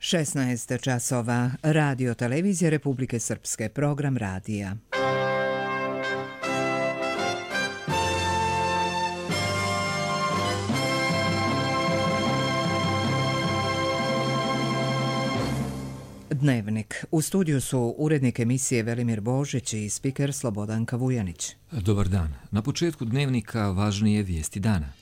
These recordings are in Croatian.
16 časova. Radio televizije Republike Srpske. Program radija. Dnevnik. U studiju su urednik emisije Velimir Božić i spiker Slobodanka Vujanić. Dobar dan. Na početku dnevnika važnije vijesti dana.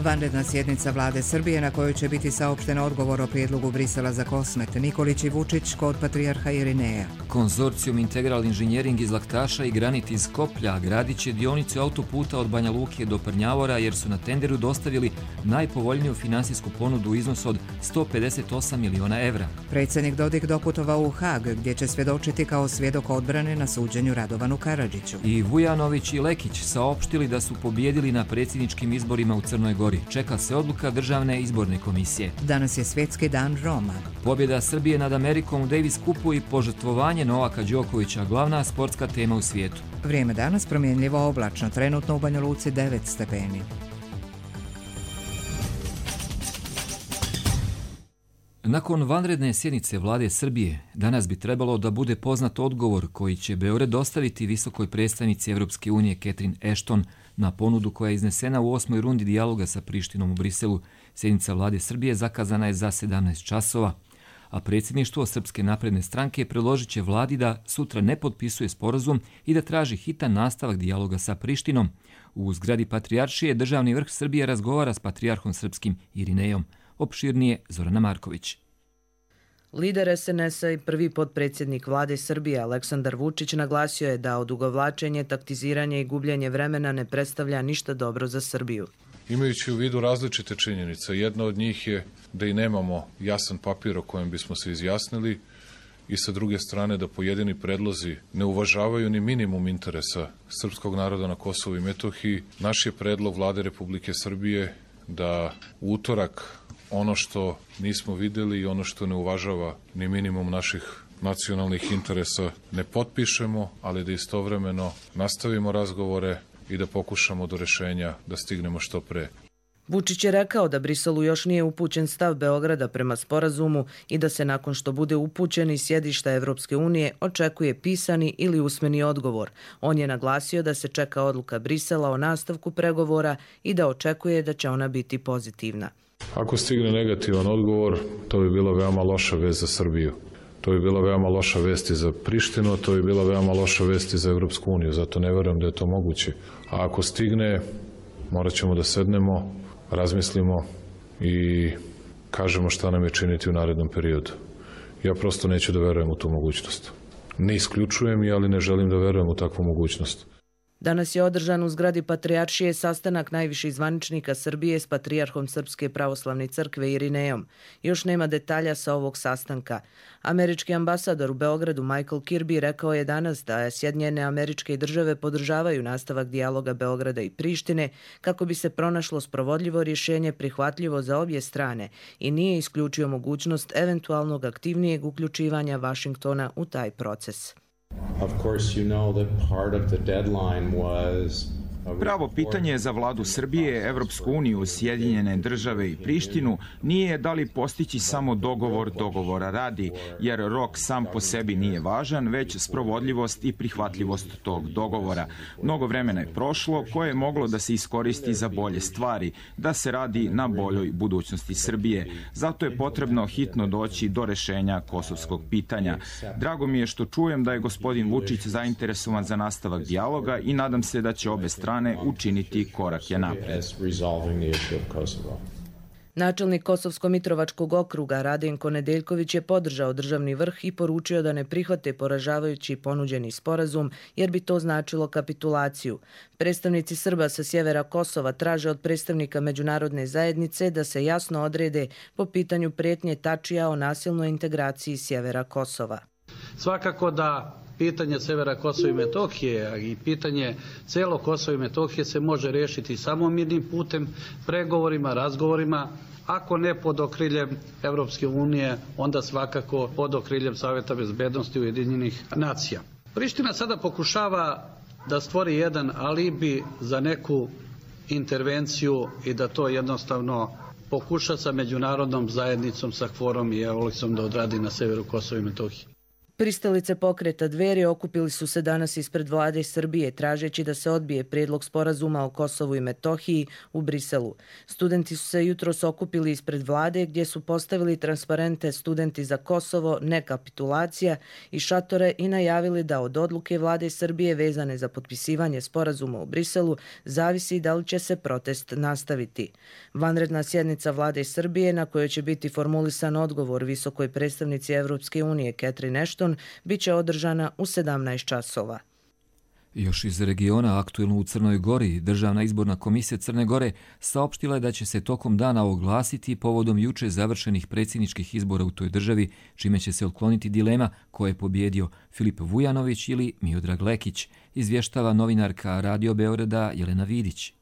Vanredna sjednica vlade Srbije na kojoj će biti saopšten odgovor o prijedlogu Brisela za Kosmet. Nikolić i Vučić kod patrijarha Irineja. Konzorcijum Integral Inženjering iz Laktaša i Granit iz Skoplja gradit će dionicu autoputa od Banja Luke do Prnjavora jer su na tenderu dostavili najpovoljniju finansijsku ponudu u iznosu od 158 miliona evra. Predsjednik Dodik doputovao u Hag gdje će svjedočiti kao svjedok odbrane na suđenju Radovanu Karadžiću. I Vujanović i Lekić saopštili da su pobijedili na predsjedničkim izborima u Crnoj Gori. Čeka se odluka Državne izborne komisije. Danas je svjetski dan Roma. Pobjeda Srbije nad Amerikom u Davis Cupu i požrtvovanje Novaka Đokovića, glavna sportska tema u svijetu. Vrijeme danas promjenljivo oblačno, trenutno u Banja Luci 9 stepeni. Nakon vanredne sjednice vlade Srbije, danas bi trebalo da bude poznat odgovor koji će Beograd dostaviti visokoj predstavnici Evropske unije Catherine Ashton na ponudu koja je iznesena u 8. rundi dijaloga sa Prištinom u Briselu. Sjednica vlade Srbije zakazana je za 17 časova, a predsjedništvo Srpske napredne stranke predložit će vladi da sutra ne potpisuje sporazum i da traži hitan nastavak dijaloga sa Prištinom. U zgradi Patrijaršije državni vrh Srbije razgovara s patrijarhom srpskim Irinejom. Opširnije Zorana Marković. Lider SNS-a i prvi potpredsjednik vlade Srbije Aleksandar Vučić naglasio je da odugovlačenje, taktiziranje i gubljenje vremena ne predstavlja ništa dobro za Srbiju. Imajući u vidu različite činjenice, jedna od njih je da i nemamo jasan papir o kojem bismo se izjasnili i sa druge strane da pojedini predlozi ne uvažavaju ni minimum interesa srpskog naroda na Kosovu i Metohiji. Naš je predlog vlade Republike Srbije da u utorak ono što nismo vidjeli i ono što ne uvažava ni minimum naših nacionalnih interesa ne potpišemo, ali da istovremeno nastavimo razgovore i da pokušamo do rješenja da stignemo što pre. Vučić je rekao da Briselu još nije upućen stav Beograda prema sporazumu i da se nakon što bude upućen iz sjedišta Evropske unije očekuje pisani ili usmeni odgovor. On je naglasio da se čeka odluka Brisela o nastavku pregovora i da očekuje da će ona biti pozitivna. Ako stigne negativan odgovor, to bi bila veoma loša vest za Srbiju. To bi bila veoma loša vest i za Prištinu, to bi bila veoma loša vest i za Evropsku uniju, zato ne verujem da je to moguće. A ako stigne, morat ćemo da sednemo, razmislimo i kažemo šta nam je činiti u narednom periodu. Ja prosto neću da verujem u tu mogućnost. Ne isključujem je, ali ne želim da verujem u takvu mogućnost. Danas je održan u zgradi Patrijaršije sastanak najviših zvaničnika Srbije s patrijarhom Srpske pravoslavne crkve Irinejom. Još nema detalja sa ovog sastanka. Američki ambasador u Beogradu Michael Kirby rekao je danas da Sjedinjene Američke Države podržavaju nastavak dijaloga Beograda i Prištine kako bi se pronašlo sprovodljivo rješenje prihvatljivo za obje strane i nije isključio mogućnost eventualnog aktivnijeg uključivanja Vašingtona u taj proces. Of course, you know that part of the deadline was Pravo pitanje za vladu Srbije, Evropsku uniju, Sjedinjene Države i Prištinu nije da li postići samo dogovor dogovora radi, jer rok sam po sebi nije važan, već sprovodljivost i prihvatljivost tog dogovora. Mnogo vremena je prošlo koje je moglo da se iskoristi za bolje stvari, da se radi na boljoj budućnosti Srbije. Zato je potrebno hitno doći do rešenja kosovskog pitanja. Drago mi je što čujem da je gospodin Vučić zainteresovan za nastavak dijaloga i nadam se da će obe strane učiniti korake napred. Načelnik Kosovsko-Mitrovačkog okruga Radenko Nedeljković je podržao državni vrh i poručio da ne prihvate poražavajući ponuđeni sporazum jer bi to značilo kapitulaciju. Predstavnici Srba sa sjevera Kosova traže od predstavnika međunarodne zajednice da se jasno odrede po pitanju prijetnje Tačija o nasilnoj integraciji sjevera Kosova. Svakako da pitanje severa Kosova i Metohije i pitanje celog Kosova i Metohije se može riješiti samo mirnim putem, pregovorima, razgovorima, ako ne pod okriljem Evropske unije, onda svakako pod okriljem Saveta bezbednosti Ujedinjenih nacija. Priština sada pokušava da stvori jedan alibi za neku intervenciju i da to jednostavno pokuša sa međunarodnom zajednicom, sa KFOR-om i EULEX-om da odradi na severu Kosova i Metohije. Pristalice pokreta Dveri okupili su se danas ispred vlade Srbije tražeći da se odbije prijedlog sporazuma o Kosovu i Metohiji u Briselu. Studenti su se jutros okupili ispred vlade gdje su postavili transparente Studenti za Kosovo, ne kapitulacija i šatore i najavili da od odluke vlade Srbije vezane za potpisivanje sporazuma u Briselu zavisi da li će se protest nastaviti. Vanredna sjednica vlade Srbije na kojoj će biti formulisan odgovor visokoj predstavnici Evropske unije Catherine Ashton bit će održana u 17 časova. Još iz regiona, aktuelno u Crnoj Gori, Državna izborna komisija Crne Gore saopštila je da će se tokom dana oglasiti povodom juče završenih predsjedničkih izbora u toj državi, čime će se otkloniti dilema ko je pobjedio Filip Vujanović ili Miodrag Lekić, izvještava novinarka Radio Beograda Jelena Vidić.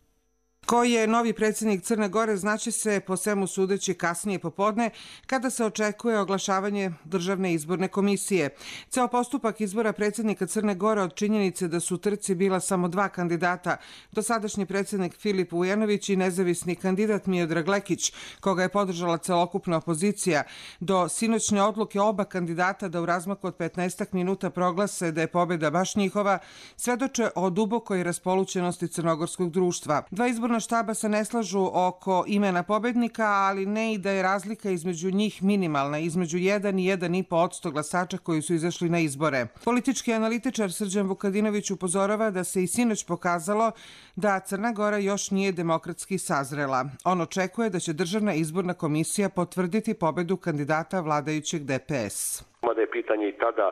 Ko je novi predsjednik Crne Gore znaće se po svemu sudeći kasnije popodne kada se očekuje oglašavanje Državne izborne komisije. Ceo postupak izbora predsjednika Crne Gore od činjenice da su u trci bila samo dva kandidata, dosadašnji predsjednik Filip Vujanović i nezavisni kandidat Miodrag Lekić, koga je podržala celokupna opozicija, do sinoćne odluke oba kandidata da u razmaku od 15 minuta proglase da je pobjeda baš njihova, svedoče o dubokoj raspolućenosti crnogorskog društva. Dva izborna štaba se ne slažu oko imena pobednika, ali ne i da je razlika između njih minimalna, između 1 i 1,5% glasača koji su izašli na izbore. Politički analitičar Srđan Vukadinović upozorava da se i sinoć pokazalo da Crna Gora još nije demokratski sazrela. On očekuje da će Državna izborna komisija potvrditi pobedu kandidata vladajućeg DPS. Mada je pitanje i tada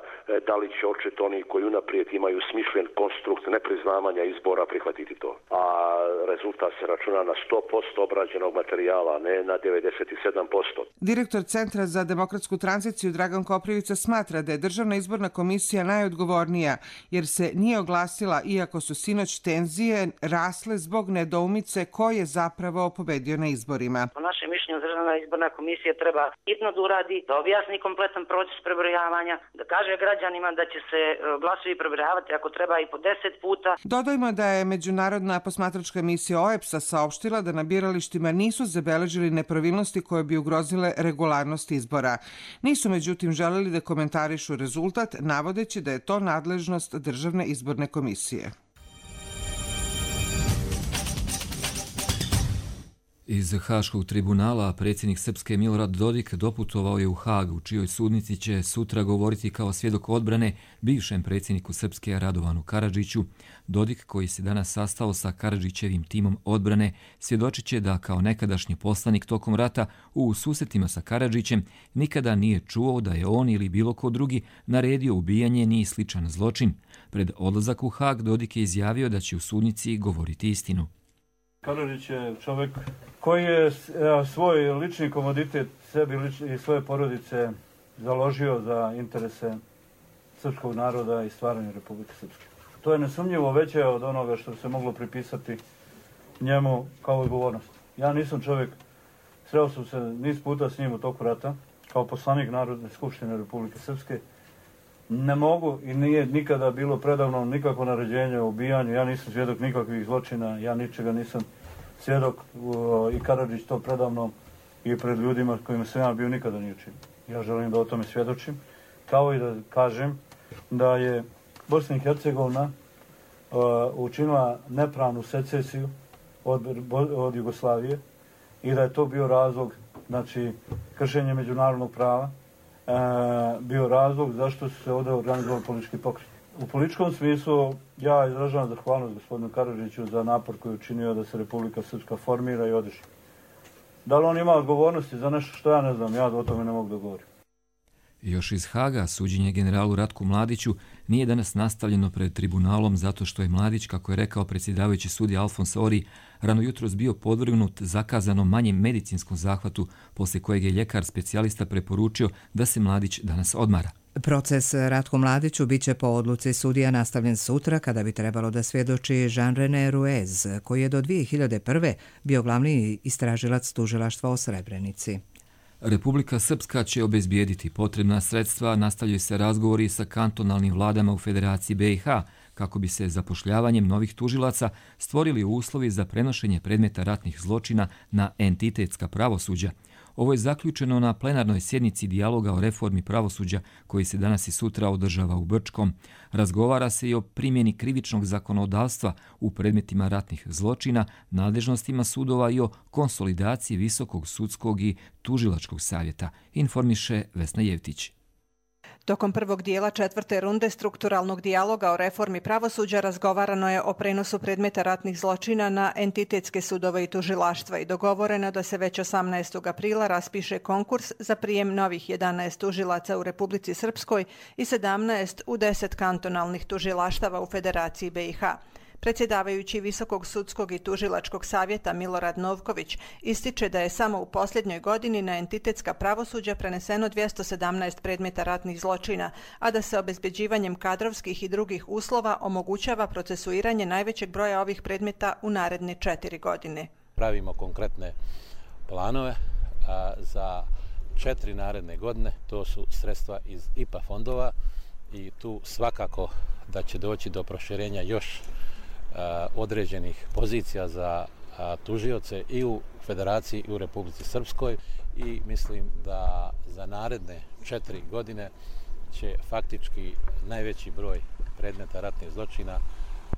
da li će očito oni koji unaprijed imaju smišljen konstrukt nepriznavanja izbora prihvatiti to. A rezultat se računa na 100% obrađenog materijala, ne na 97%. Direktor Centra za demokratsku tranziciju Dragan Koprivica smatra da je Državna izborna komisija najodgovornija jer se nije oglasila iako su sinoć tenzije rasle zbog nedoumice ko je zapravo pobedio na izborima. Po našem mišljenju Državna izborna komisija treba hitno da uradi, da objasni kompletan proces prebrojavanja, da kaže građanima da će se glasovi prebrojavati ako treba i po 10 puta. Dodajmo da je Međunarodna posmatračka misija OEBS-a saopštila da na biralištima nisu zabeležili nepravilnosti koje bi ugrozile regularnost izbora. Nisu međutim želeli da komentarišu rezultat, navodeći da je to nadležnost Državne izborne komisije. Iz Haškog tribunala predsjednik Srpske Milorad Dodik doputovao je u Hag, u čijoj sudnici će sutra govoriti kao svjedok odbrane bivšem predsjedniku Srpske Radovanu Karadžiću. Dodik, koji se danas sastao sa Karadžićevim timom odbrane, svjedočit će da kao nekadašnji poslanik tokom rata u susretima sa Karadžićem nikada nije čuo da je on ili bilo ko drugi naredio ubijanje ni sličan zločin. Pred odlazak u Hag Dodik je izjavio da će u sudnici govoriti istinu. Karadžić je čovjek koji je svoj lični komoditet sebi i svoje porodice založio za interese srpskog naroda i stvaranja Republike Srpske. To je nesumnjivo veće od onoga što se moglo pripisati njemu kao odgovornost. Ja nisam čovjek, sreo sam se niz puta s njim u toku rata, kao poslanik Narodne skupštine Republike Srpske. Ne mogu i nije nikada bilo predavno nikakvo naređenje o ubijanju, ja nisam svjedok nikakvih zločina, ja ničega nisam svjedok i Karadžić to predavno i pred ljudima kojima sam ja bio nikada nije učinio. Ja želim da o tome svjedočim, kao i da kažem da je Bosna i Hercegovina učinila nepravnu secesiju od Jugoslavije i da je to bio razlog, znači kršenje međunarodnog prava, bio razlog zašto su se ovdje organizovali politički pokret. U političkom smislu ja izražavam zahvalnost gospodinu Karadžiću za napor koji je učinio da se Republika Srpska formira i održi. Da li on ima odgovornosti za nešto što ja ne znam, ja o tome ne mogu da govorim. Još iz Haga suđenje generalu Ratku Mladiću nije danas nastavljeno pred tribunalom zato što je Mladić, kako je rekao predsjedavajući sudija Alfons Ori, rano jutros bio podvrgnut zakazanom manjem medicinskom zahvatu, poslije kojeg je ljekar specijalista preporučio da se Mladić danas odmara. Proces Ratku Mladiću bit će po odluci sudija nastavljen sutra kada bi trebalo da svjedoči Jean-René Ruiz, koji je do 2001. bio glavni istražilac tužilaštva o Srebrenici. Republika Srpska će obezbijediti potrebna sredstva, nastavljaju se razgovori sa kantonalnim vladama u Federaciji BiH, kako bi se zapošljavanjem novih tužilaca stvorili uslovi za prenošenje predmeta ratnih zločina na entitetska pravosuđa. Ovo je zaključeno na plenarnoj sjednici dijaloga o reformi pravosuđa koji se danas i sutra održava u Brčkom. Razgovara se i o primjeni krivičnog zakonodavstva u predmetima ratnih zločina, nadležnostima sudova i o konsolidaciji Visokog sudskog i tužilačkog savjeta, informiše Vesna Jevtić. Tokom prvog dijela 4. runde strukturalnog dijaloga o reformi pravosuđa razgovarano je o prenosu predmeta ratnih zločina na entitetske sudove i tužilaštva i dogovoreno da se već 18. aprila raspiše konkurs za prijem novih 11 tužilaca u Republici Srpskoj i 17 u 10 kantonalnih tužilaštava u Federaciji BiH. Predsjedavajući Visokog sudskog i tužilačkog savjeta Milorad Novković ističe da je samo u posljednjoj godini na entitetska pravosuđa preneseno 217 predmeta ratnih zločina, a da se obezbeđivanjem kadrovskih i drugih uslova omogućava procesuiranje najvećeg broja ovih predmeta u naredne 4 godine. Pravimo konkretne planove za 4 naredne godine, to su sredstva iz IPA fondova i tu svakako da će doći do proširenja još određenih pozicija za tužioce i u Federaciji i u Republici Srpskoj i mislim da za naredne 4 godine će faktički najveći broj predmeta ratnih zločina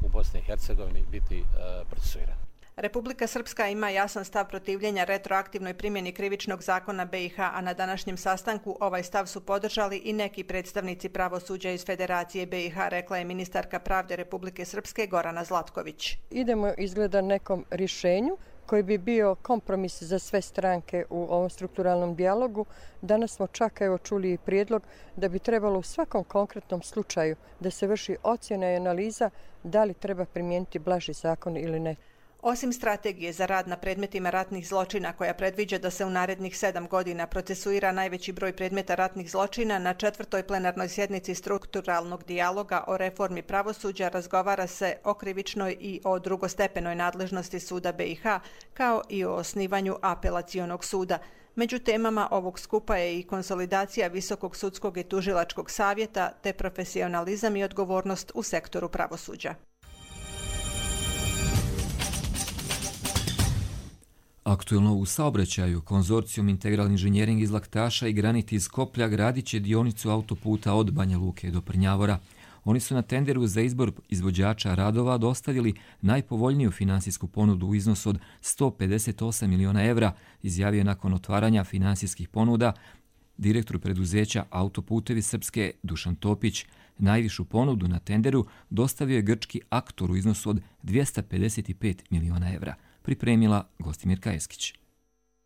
u Bosni i Hercegovini biti procesuiran. Republika Srpska ima jasan stav protivljenja retroaktivnoj primjeni krivičnog zakona BiH, a na današnjem sastanku ovaj stav su podržali i neki predstavnici pravosuđa iz Federacije BiH, rekla je ministarka pravde Republike Srpske Gorana Zlatković. Idemo izgleda nekom rješenju koji bi bio kompromis za sve stranke u ovom strukturalnom dijalogu. Danas smo čak čuli i prijedlog da bi trebalo u svakom konkretnom slučaju da se vrši ocjena i analiza da li treba primijeniti blaži zakon ili ne. Osim strategije za rad na predmetima ratnih zločina koja predviđa da se u narednih 7 godina procesuira najveći broj predmeta ratnih zločina, na 4. plenarnoj sjednici strukturalnog dijaloga o reformi pravosuđa razgovara se o krivičnoj i o drugostepenoj nadležnosti suda BiH, kao i o osnivanju apelacionog suda. Među temama ovog skupa je i konsolidacija Visokog sudskog i tužilačkog savjeta te profesionalizam i odgovornost u sektoru pravosuđa. Aktuelno u saobraćaju, konzorcijum Integralni inženjering iz Laktaša i Granit iz Skoplja gradit će dionicu autoputa od Banja Luke do Prnjavora. Oni su na tenderu za izbor izvođača radova dostavili najpovoljniju finansijsku ponudu u iznosu od 158 miliona evra, izjavio nakon otvaranja finansijskih ponuda direktor preduzeća Autoputevi Srpske Dušan Topić. Najvišu ponudu na tenderu dostavio je grčki Aktor u iznosu od 255 miliona evra. Pripremila Gostimir Kajeskić.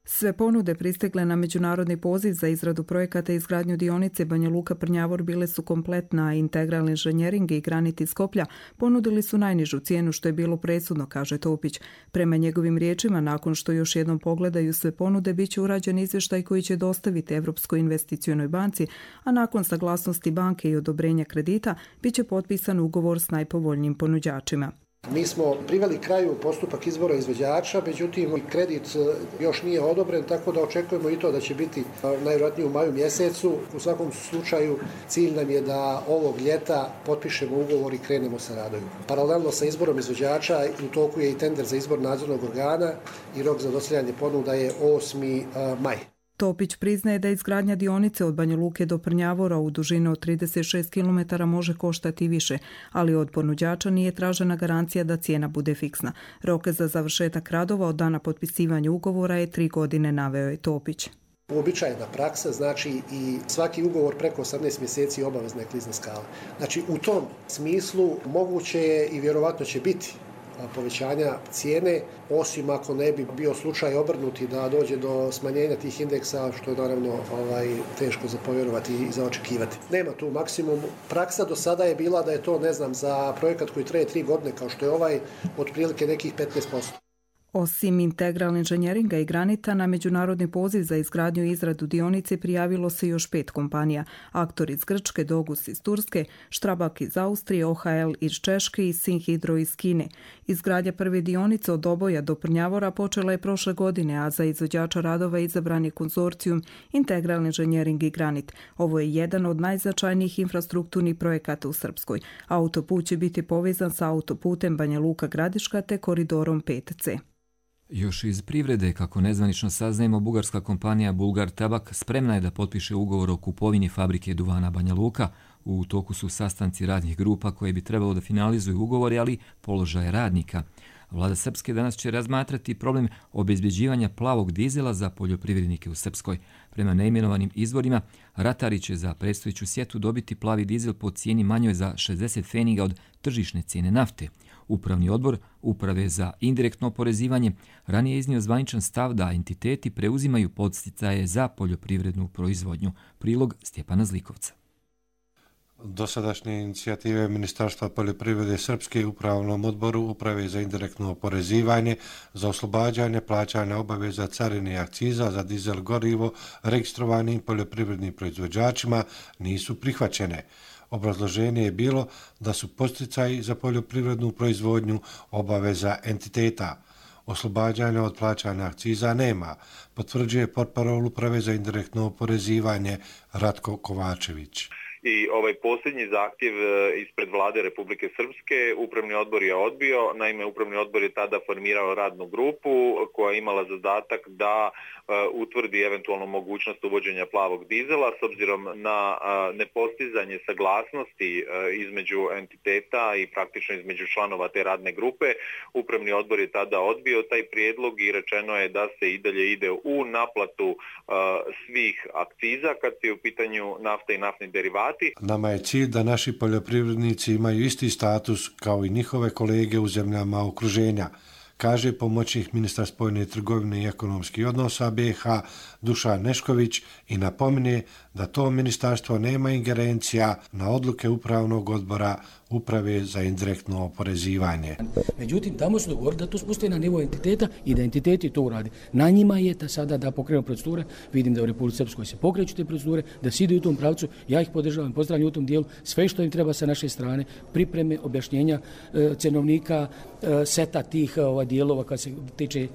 Sve ponude pristigle na međunarodni poziv za izradu projekata i izgradnju dionice Banja Luka-Prnjavor bile su kompletna, a Integralni inženjering i Granit iz Skoplja ponudili su najnižu cijenu, što je bilo presudno, kaže Topić. Prema njegovim riječima, nakon što još jednom pogledaju sve ponude, bit će urađen izvještaj koji će dostaviti Evropskoj investicionoj banci, a nakon saglasnosti banke i odobrenja kredita bit će potpisan ugovor s najpovoljnijim ponuđačima. Mi smo priveli kraju postupak izbora izvođača, međutim kredit još nije odobren, tako da očekujemo i to da će biti najvjerojatnije u maju mjesecu. U svakom slučaju cilj nam je da ovog ljeta potpišemo ugovor i krenemo sa radovima. Paralelno sa izborom izvođača u toku je i tender za izbor nadzornog organa i rok za dostavljanje ponuda je 8. maj. Topić priznaje da izgradnja dionice od Banja Luke do Prnjavora u dužini od 36 km može koštati više, ali od ponuđača nije tražena garancija da cijena bude fiksna. Rok za završetak radova od dana potpisivanja ugovora je 3 godine, naveo je Topić. Uobičajena praksa, znači i svaki ugovor preko 18 mjeseci obavezna je klizna skala. Znači u tom smislu moguće je i vjerovatno će biti povećanja cijene, osim ako ne bi bio slučaj obrnuti da dođe do smanjenja tih indeksa, što je naravno teško za povjerovati i za očekivati. Nema tu maksimum. Praksa do sada je bila da je to, za projekat koji traje 3 godine, kao što je ovaj, otprilike nekih 15%. Osim Integral inženjeringa i Granita, na međunarodni poziv za izgradnju i izradu dionice prijavilo se još 5 kompanija. Aktor iz Grčke, Dogus iz Turske, Štrabak iz Austrije, OHL iz Češke i Sinhidro iz Kine. Izgradnja prve dionice od Oboja do Prnjavora počela je prošle godine, a za izvođača radova izabran je konzorcijum Integral inženjering i Granit. Ovo je jedan od najznačajnijih infrastrukturnih projekata u Srpskoj. Autoput će biti povezan sa autoputem Banja Luka Gradiška te koridorom 5C. Još iz privrede, kako nezvanično saznajemo, bugarska kompanija Bulgar Tabak spremna je da potpiše ugovor o kupovini fabrike duvana Banja Luka. U toku su sastanci radnih grupa koje bi trebalo da finalizuju ugovori, ali položaje radnika. Vlada Srpske danas će razmatrati problem obezbeđivanja plavog dizela za poljoprivrednike u Srpskoj. Prema neimenovanim izvorima, ratari će za predstojeću sjetu dobiti plavi dizel po cijeni manjoj za 60 pfeniga od tržišne cijene nafte. Upravni odbor Uprave za indirektno oporezivanje ranije iznio zvaničan stav da entiteti preuzimaju podsticaje za poljoprivrednu proizvodnju. Prilog Stjepana Zlikovca. Dosadašnje inicijative Ministarstva poljoprivrede Srpske u Upravnom odboru Uprave za indirektno oporezivanje za oslobađanje plaćanja obaveza carine i akciza za dizel gorivo registrovanim poljoprivrednim proizvođačima nisu prihvaćene. Obrazloženje je bilo da su podsticaji za poljoprivrednu proizvodnju obaveza entiteta. Oslobađanja od plaćanja akciza nema, potvrđuje portparol Uprave za indirektno oporezivanje Ratko Kovačević. I ovaj posljednji zahtjev ispred vlade Republike Srpske Upravni odbor je odbio. Naime, Upravni odbor je tada formirao radnu grupu koja je imala zadatak da utvrdi eventualnu mogućnost uvođenja plavog dizela s obzirom na nepostizanje saglasnosti između entiteta i praktično između članova te radne grupe. Upravni odbor je tada odbio taj prijedlog i rečeno je da se i dalje ide u naplatu svih akciza kad je u pitanju nafta i naftni derivati. Nama je cilj da naši poljoprivrednici imaju isti status kao i njihove kolege u zemljama okruženja, kaže pomoćnik ministra spoljne trgovine i ekonomskih odnosa BiH Dušan Nešković i napomine da to ministarstvo nema ingerencija na odluke Upravnog odbora Uprave za indirektno oporezivanje. Međutim, tamo su dogovorili da to spuste na nivo entiteta i da entiteti to uradi. Na njima je da sada da pokrenu procedure. Vidim da u Republici Srpskoj se pokreću te procedure, da se ide u tom pravcu. Ja ih podržavam, pozdravljam u tom dijelu. Sve što im treba sa naše strane, pripreme, objašnjenja cenovnika, seta tih dijelova kad se tiče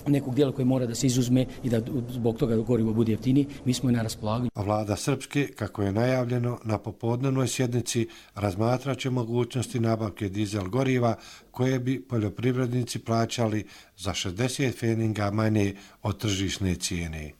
nekog dijela koji mora da se izuzme i da zbog toga gorivo bude jeftiniji, mi smo i na raspolaganju. A vlada Srpske, kako je najavljeno, na popodnevnoj sjednici razmatraće mogućnosti nabavke dizel goriva koje bi poljoprivrednici plaćali za 60 pfeniga manje od tržišne cijene.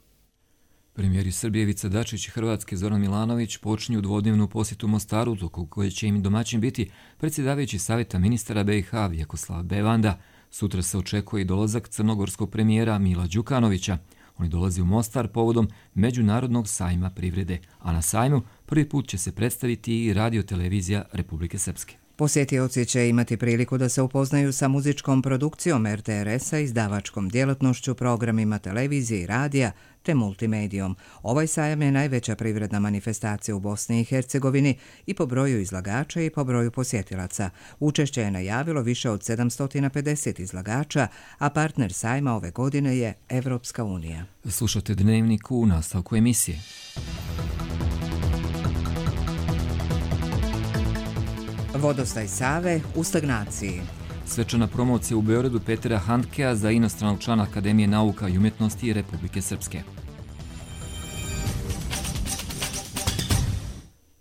Premijeri Srbije Ivica Dačić i Hrvatske Zoran Milanović počinju dvodnevnu posjetu Mostaru, tokom koje će im domaćin biti predsjedavajući Savjeta ministara BiH Vjekoslav Bevanda. Sutra se očekuje i dolazak crnogorskog premijera Mila Đukanovića. Oni dolazi u Mostar povodom Međunarodnog sajma privrede, a na sajmu prvi put će se predstaviti i radio-televizija Republike Srpske. Posjetioci će imati priliku da se upoznaju sa muzičkom produkcijom RTRS-a, izdavačkom djelatnošću, programima televizije i radija te multimedijom. Ovaj sajam je najveća privredna manifestacija u Bosni i Hercegovini i po broju izlagača i po broju posjetilaca. Učešće je najavilo više od 750 izlagača, a partner sajma ove godine je Evropska unija. Slušate Dnevnik u nastavku emisije. Vodostaj Save u stagnaciji. Svečana promocija u Beogradu Petera Handkea za inostranog člana Akademije nauka i umjetnosti Republike Srpske.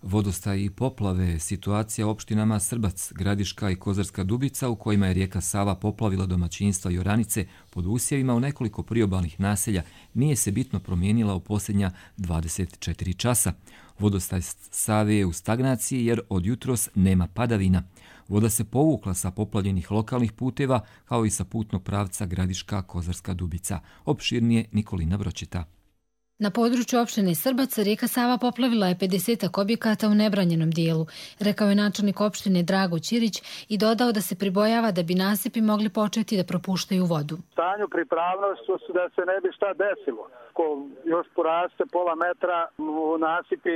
Vodostaj i poplave, situacija u opštinama Srbac, Gradiška i Kozarska Dubica u kojima je rijeka Sava poplavila domaćinstva i oranice pod usjevima u nekoliko priobalnih naselja nije se bitno promijenila u posljednja 24 časa. Vodostaj Save je u stagnaciji jer od jutros nema padavina. Voda se povukla sa poplavljenih lokalnih puteva kao i sa putnog pravca Gradiška Kozarska Dubica. Opširnije Nikolina Vroćeta. Na području opštine Srbac rijeka Sava poplavila je 50 objekata u nebranjenom dijelu, rekao je načelnik opštine Drago Ćirić i dodao da se pribojava da bi nasipi mogli početi da propuštaju vodu. Stanju pripravnosti su da se ne bi šta desilo. Ko još poraste pola metra, nasipi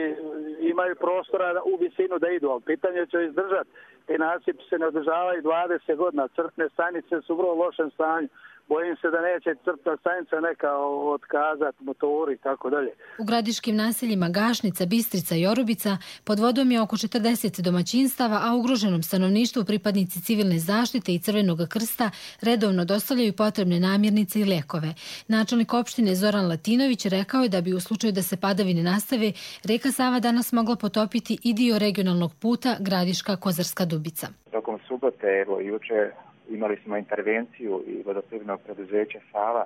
imaju prostora u visinu da idu, ali pitanje će izdržati. Ti nasipi se ne održavaju 20 godina, crpne stanice su u vrlo lošem stanju. bojim se da neće crpna stanica neka otkazati motori i tako dalje. U gradiškim naseljima Gašnica, Bistrica i Orubica pod vodom je oko 40 domaćinstava, a ugroženom stanovništvu pripadnici civilne zaštite i Crvenog krsta redovno dostavljaju potrebne namirnice i lijekove. Načelnik opštine Zoran Latinović rekao je da bi u slučaju da se padavine nastave, reka Sava danas mogla potopiti i dio regionalnog puta Gradiška-Kozarska Dubica. Tokom subote, evo juče, imali smo intervenciju i vodoprivrednog preduzeća Sava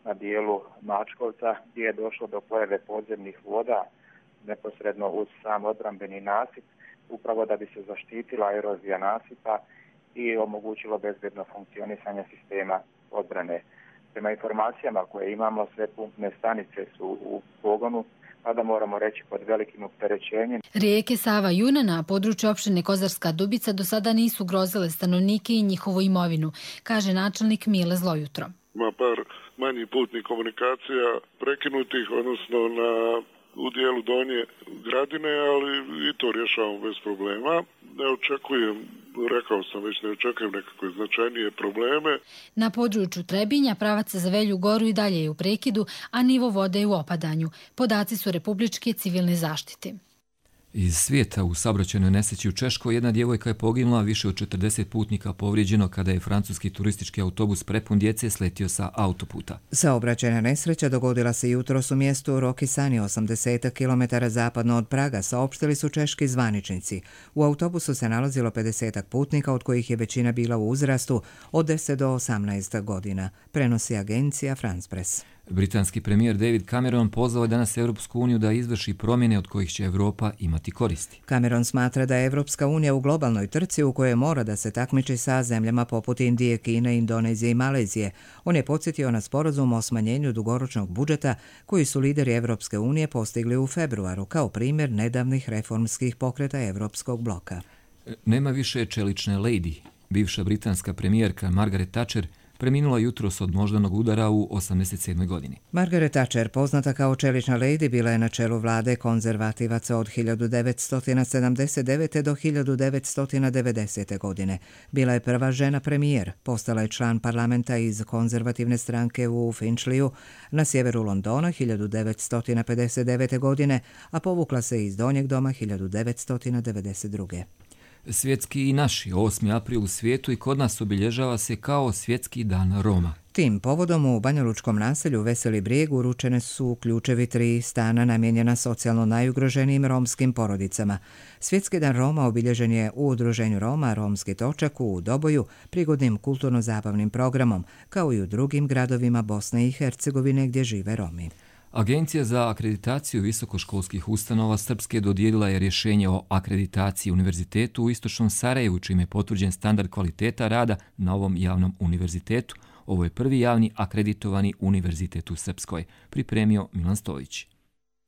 na dijelu Mačkovca gdje je došlo do pojave podzemnih voda neposredno uz sam odbrambeni nasip, upravo da bi se zaštitila erozija nasipa i omogućilo bezbedno funkcionisanje sistema odbrane. Prema informacijama koje imamo, sve pumpne stanice su u pogonu, pa da moramo reći pod velikim opterećenjem. Rijeke Sava i Una na području opštine Kozarska Dubica do sada nisu grozile stanovnike i njihovu imovinu, kaže načelnik Mile Zlojutro. Ima par manjih putnih komunikacija prekinutih, odnosno u dijelu Donje Gradine, ali i to rješavamo bez problema. Ne očekujem, rekao sam već, ne očekujem nekakve značajnije probleme. Na području Trebinja pravac za Velju Goru i dalje je u prekidu, a nivo vode je u opadanju. Podaci su Republičke civilne zaštite. Iz svijeta u saobraćajnoj nesreći u Češkoj jedna djevojka je poginula, više od 40 putnika povrijeđeno kada je francuski turistički autobus prepun djece sletio sa autoputa. Saobraćajna nesreća dogodila se jutros u mjestu Rokisani, 80 km zapadno od Praga, saopštili su češki zvaničnici. U autobusu se nalazilo 50 putnika, od kojih je većina bila u uzrastu od 10 do 18 godina, prenosi agencija France Press. Britanski premijer David Cameron pozvao je danas Evropsku uniju da izvrši promjene od kojih će Europa imati koristi. Cameron smatra da je Evropska unija u globalnoj trci u kojoj mora da se takmiči sa zemljama poput Indije, Kine, Indonezije i Malezije. On je podsjetio na sporazum o smanjenju dugoročnog budžeta koji su lideri Evropske unije postigli u februaru kao primjer nedavnih reformskih pokreta Evropskog bloka. Nema više čelične lady. Bivša britanska premijerka Margaret Thatcher preminula jutros od moždanog udara u 87. godini. Margaret Thatcher, poznata kao čelična lady, bila je na čelu vlade konzervativaca od 1979. do 1990. godine. Bila je prva žena premijer, postala je član parlamenta iz konzervativne stranke u Finchleyu na sjeveru Londona 1959. godine, a povukla se iz Donjeg doma 1992. Svjetski i naši 8. april u svijetu i kod nas obilježava se kao Svjetski dan Roma. Tim povodom u banjalučkom naselju Veseli Brijeg uručene su ključevi 3 stana namijenjena socijalno najugroženijim romskim porodicama. Svjetski dan Roma obilježen je u udruženju Roma Romski točak u Doboju prigodnim kulturno-zabavnim programom, kao i u drugim gradovima Bosne i Hercegovine gdje žive Romi. Agencija za akreditaciju visokoškolskih ustanova Srpske dodijelila je rješenje o akreditaciji univerzitetu u Istočnom Sarajevu, čime je potvrđen standard kvaliteta rada na ovom javnom univerzitetu. Ovo je prvi javni akreditovani univerzitet u Srpskoj, pripremio Milan Stojić.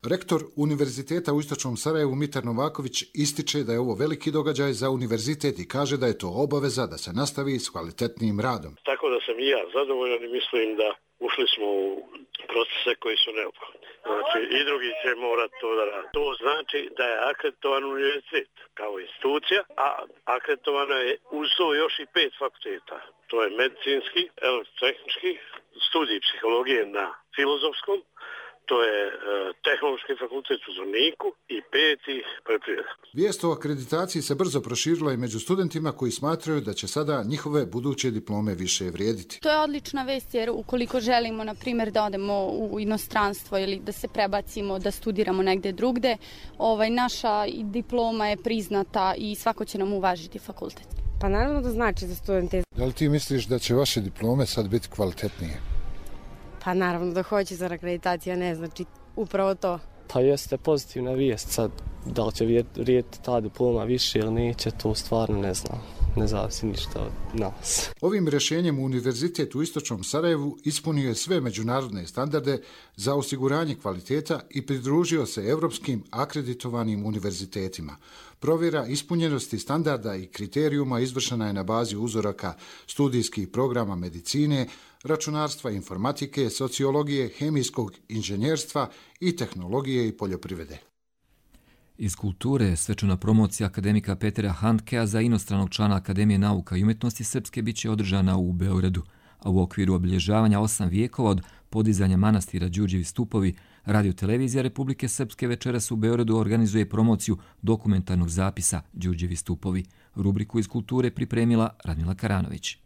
Rektor Univerziteta u Istočnom Sarajevu Mitar Novaković ističe da je ovo veliki događaj za univerzitet i kaže da je to obaveza da se nastavi s kvalitetnim radom. Tako da sam i ja zadovoljan i mislim da ušli smo u procese koji su neophodni. Znači i drugi će morati to da radi. To znači da je akreditovan univerzitet kao institucija, a akreditovano je uz to još i 5 fakulteta. To je medicinski, elektrotehnički, studij psihologije na filozofskom, to je tehnološki fakultet u Zvorniku i 5. poljoprivreda. Vijest o akreditaciji se brzo proširila i među studentima koji smatraju da će sada njihove buduće diplome više vrijediti. To je odlična vest jer ukoliko želimo, na primjer, da odemo u inostranstvo ili da se prebacimo, da studiramo negde drugde, naša diploma je priznata i svako će nam uvažiti fakultet. Pa naravno da znači za studente. Da li ti misliš da će vaše diplome sad biti kvalitetnije? Pa naravno da hoće, za akreditacija ne znači upravo to. Pa jeste pozitivna vijest sad, da li će vrijediti ta diploma više ili neće, to stvarno ne znam. Ne zavisi ništa od nas. Ovim rješenjem Univerzitet u Istočnom Sarajevu ispunio je sve međunarodne standarde za osiguranje kvaliteta i pridružio se evropskim akreditovanim univerzitetima. Provjera ispunjenosti standarda i kriterijuma izvršena je na bazi uzoraka studijskih programa medicine, računarstva, informatike, sociologije, hemijskog inženjerstva i tehnologije i poljoprivrede. Iz kulture svečana promocija akademika Petera Handkea za inostranog člana Akademije nauka i umjetnosti Srpske biće održana u Beogradu. a u okviru obilježavanja 8 vijekova od podizanja manastira Đurđevi stupovi, Radio-televizija Republike Srpske večeras u Beogradu organizuje promociju dokumentarnog zapisa Đurđevi stupovi. Rubriku iz kulture pripremila Radmila Karanović.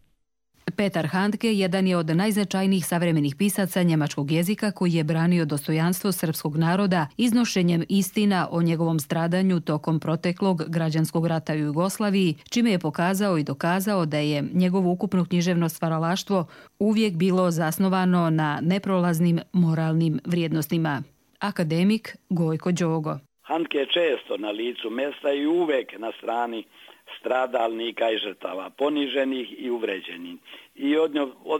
Petar Handke jedan je od najznačajnijih savremenih pisaca njemačkog jezika koji je branio dostojanstvo srpskog naroda iznošenjem istina o njegovom stradanju tokom proteklog građanskog rata u Jugoslaviji, čime je pokazao i dokazao da je njegovo ukupno književno stvaralaštvo uvijek bilo zasnovano na neprolaznim moralnim vrijednostima. Akademik Gojko Đogo. Handke je često na licu mjesta i uvek na strani stradalnika i žrtava, poniženih i uvređenih.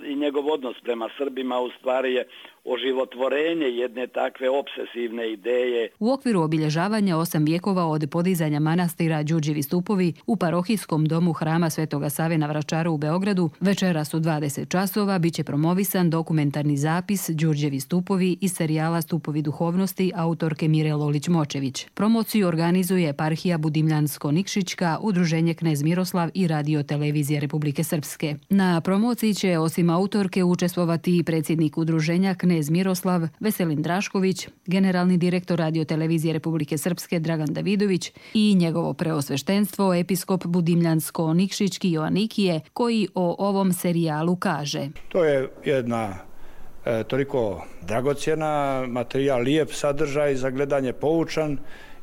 I njegov odnos prema Srbima u stvari je oživotvorenje jedne takve obsesivne ideje. U okviru obilježavanja 8 vijekova od podizanja manastira Đurđevi stupovi u parohijskom domu Hrama Svetoga Save na Vračaru u Beogradu večeras u 20 časova biće promovisan dokumentarni zapis Đurđevi stupovi iz serijala Stupovi duhovnosti autorke Mire Lolić-Močević. Promociju organizuje eparhija Budimljansko-Nikšićka, Udruženje Knez Miroslav i Radio-televizija Republike Srpske. Na promociji će osim autorke učestvovati i predsjednik udruženja Knez Miroslav, Veselin Drašković, generalni direktor Radio-televizije Republike Srpske Dragan Davidović i njegovo preosveštenstvo episkop Budimljansko-Nikšićki Joanikije, koji o ovom serijalu kaže. To je jedna toliko dragocjena materijal, lijep sadržaj za gledanje, poučan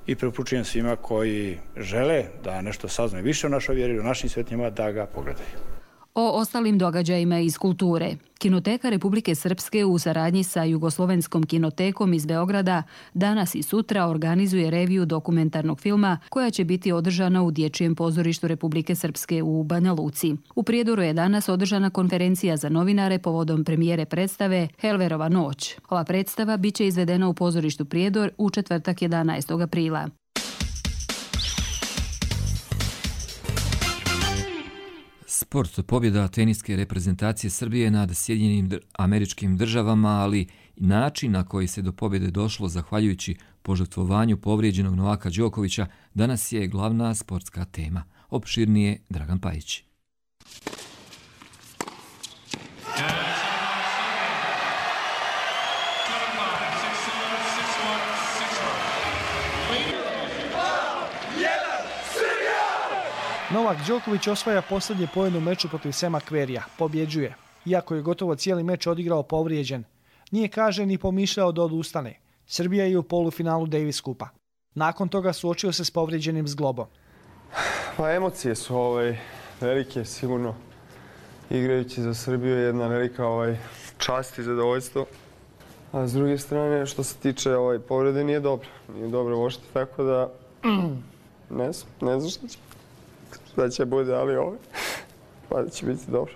i preporučujem svima koji žele da nešto saznaju više o našoj vjeri, o našim svetinjama, da ga pogledaju. O ostalim događajima iz kulture. Kinoteka Republike Srpske u saradnji sa Jugoslovenskom kinotekom iz Beograda danas i sutra organizuje reviju dokumentarnog filma koja će biti održana u Dječjem pozorištu Republike Srpske u Banja Luci. U Prijedoru je danas održana konferencija za novinare povodom premijere predstave Helverova noć. Ova predstava biće izvedena u pozorištu Prijedor u četvrtak 11. aprila. Sport, pobjeda teniske reprezentacije Srbije nad Sjedinjenim Američkim Državama, ali i način na koji se do pobjede došlo zahvaljujući požrtvovanju povrijeđenog Novaka Đokovića danas je glavna sportska tema. Opširnije Dragan Pajić. Novak Đoković osvaja posljednje poen u meču protiv Sema Querrya. Pobjeđuje. Iako je gotovo cijeli meč odigrao povrijeđen. Nije, kaže, ni pomišljao da odustane. Srbija je u polufinalu Davis Kupa. Nakon toga suočio se s povrijeđenim zglobom. Pa emocije su velike, sigurno. Igrajući za Srbiju je jedna velika čast i zadovoljstvo. A s druge strane, što se tiče povrede, nije dobro. Nije dobro uopšte, tako da ne znam što će. Da će bude, ali pa da će biti dobro.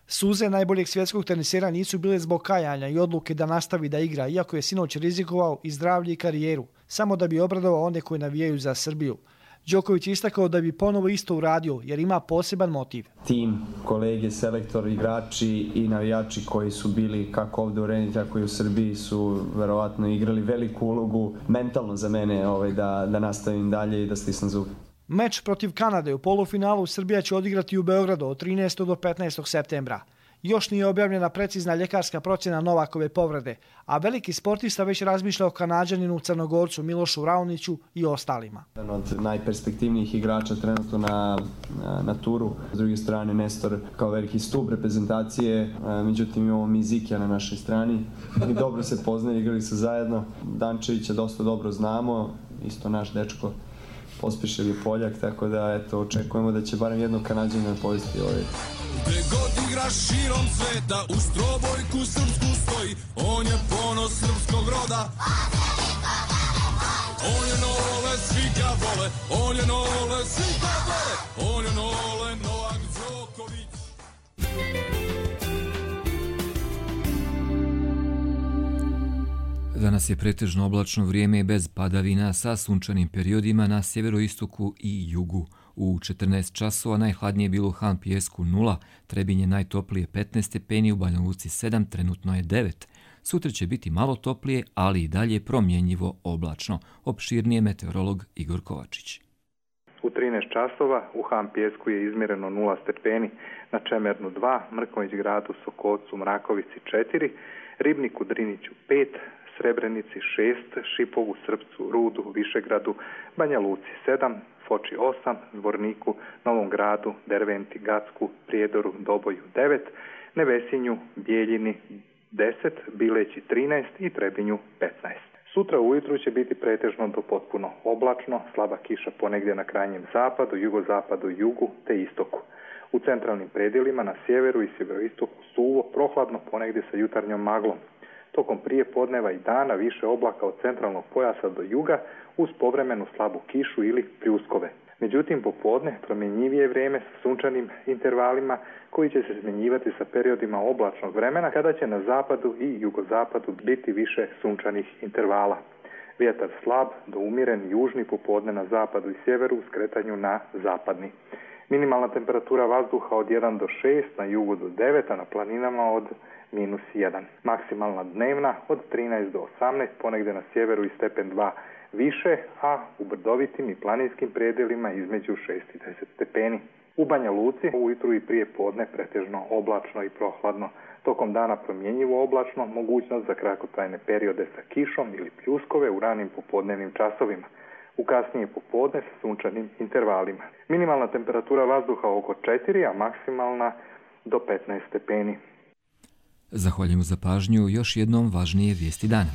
Suze najboljeg svjetskog tenisera nisu bile zbog kajanja i odluke da nastavi da igra, iako je sinoć rizikovao i zdravlje i karijeru, samo da bi obradovao one koji navijaju za Srbiju. Đoković je istakao da bi ponovo isto uradio, jer ima poseban motiv. Tim, kolege, selektor, igrači i navijači koji su bili kako ovdje u Reni, tako i u Srbiji su verovatno igrali veliku ulogu mentalno za mene da nastavim dalje i da stisnem zub. Meč protiv Kanade u polufinalu Srbija će odigrati u Beogradu od 13. do 15. septembra. Još nije objavljena precizna ljekarska procjena Novakove povrede, a veliki sportista već razmišlja o Kanađaninu Crnogorcu Milošu Raoniću i ostalima. Jedan od najperspektivnijih igrača trenutno na turu. S druge strane Nestor kao veliki stup reprezentacije, međutim imamo Mizikija na našoj strani. I dobro se poznaju, igrali su zajedno. Dančevića dosta dobro znamo, isto naš dečko. Pospješil je Poljak, tako da očekujemo da će barem jednog Kanađanina povesti ovaj. Gde god igraš širom sveta, u strobojku srpsku stoji, on je ponos srpskog roda. On je Nole, svi ga vole, on je Nole, svi ga vole, on je Nole, Novak Đoković. Danas je pretežno oblačno vrijeme bez padavina sa sunčanim periodima na sjeveroistoku i jugu. U 14 časova najhladnije je bilo u Han Pijesku 0, Trebinje najtoplije 15 stepeni, u Banja Luci 7, trenutno je 9. Sutra će biti malo toplije, ali i dalje promjenjivo oblačno. Opširnije meteorolog Igor Kovačić. U 13 časova u Ham Pijesku je izmjereno 0 stepeni, na Čemernu 2, Mrkonjić Gradu, Sokocu, Mrakovici 4, Ribniku, Driniću 5, Srebrenici 6, Šipovu, Srpcu, Rudu, Višegradu, Banja Luci 7, Foči 8, Zvorniku, Novom Gradu, Derventi, Gacku, Prijedoru, Doboju 9, Nevesinju, Bijeljini 10, Bileći 13 i Trebinju 15. Sutra ujutru će biti pretežno do potpuno oblačno, slaba kiša ponegdje na krajnjem zapadu, jugozapadu, jugu te istoku. U centralnim predjelima na sjeveru i sjeveroistoku suvo, prohladno ponegdje sa jutarnjom maglom. Tokom prije podneva i dana više oblaka od centralnog pojasa do juga uz povremenu slabu kišu ili pljuskove. Međutim, popodne promjenjivije vrijeme sa sunčanim intervalima koji će se smjenjivati sa periodima oblačnog vremena kada će na zapadu i jugozapadu biti više sunčanih intervala. Vjetar slab do umjeren južni popodne na zapadu i sjeveru u skretanju na zapadni. Minimalna temperatura vazduha od 1 do 6, na jugu do 9, a na planinama od -1. Maksimalna dnevna od 13 do 18, ponegdje na sjeveru i stepen 2 više, a u brdovitim i planinskim predjelima između 6 i 10 stepeni. U Banja Luci ujutru i prije podne pretežno oblačno i prohladno. Tokom dana promjenjivo oblačno, mogućnost za kratkotrajne periode sa kišom ili pljuskove u ranim popodnevnim časovima. U kasnije popodne sa sunčanim intervalima. Minimalna temperatura vazduha oko 4, a maksimalna do 15 stepeni. Zahvaljujemo za pažnju, još jednom važnije vijesti dana.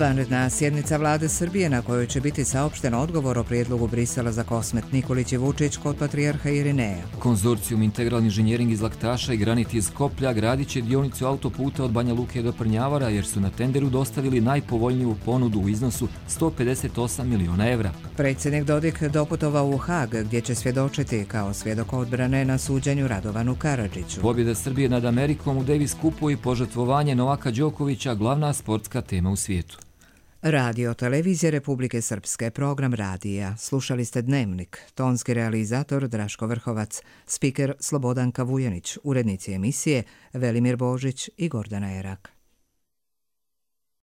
Vanredna sjednica vlade Srbije na kojoj će biti saopšten odgovor o prijedlogu Brisela za Kosmet Nikolić i Vučić kod patrijarha Irineja. Konzorcijum Integralni inženjering iz Laktaša i Granit iz Skoplja gradit će dionicu autoputa od Banja Luke do Prnjavora jer su na tenderu dostavili najpovoljniju ponudu u iznosu 158 miliona evra. Predsjednik Dodik doputovao u Hag gdje će svjedočiti kao svjedok odbrane na suđenju Radovanu Karadžiću. Pobjeda Srbije nad Amerikom u Davis Cupu i požrtvovanje Novaka Đokovića glavna sportska tema u svijetu. Radio Televizije Republike Srpske, program radija. Slušali ste Dnevnik, tonski realizator Draško Vrhovac, spiker Slobodanka Vujanić, urednici emisije Velimir Božić i Gordana Erak.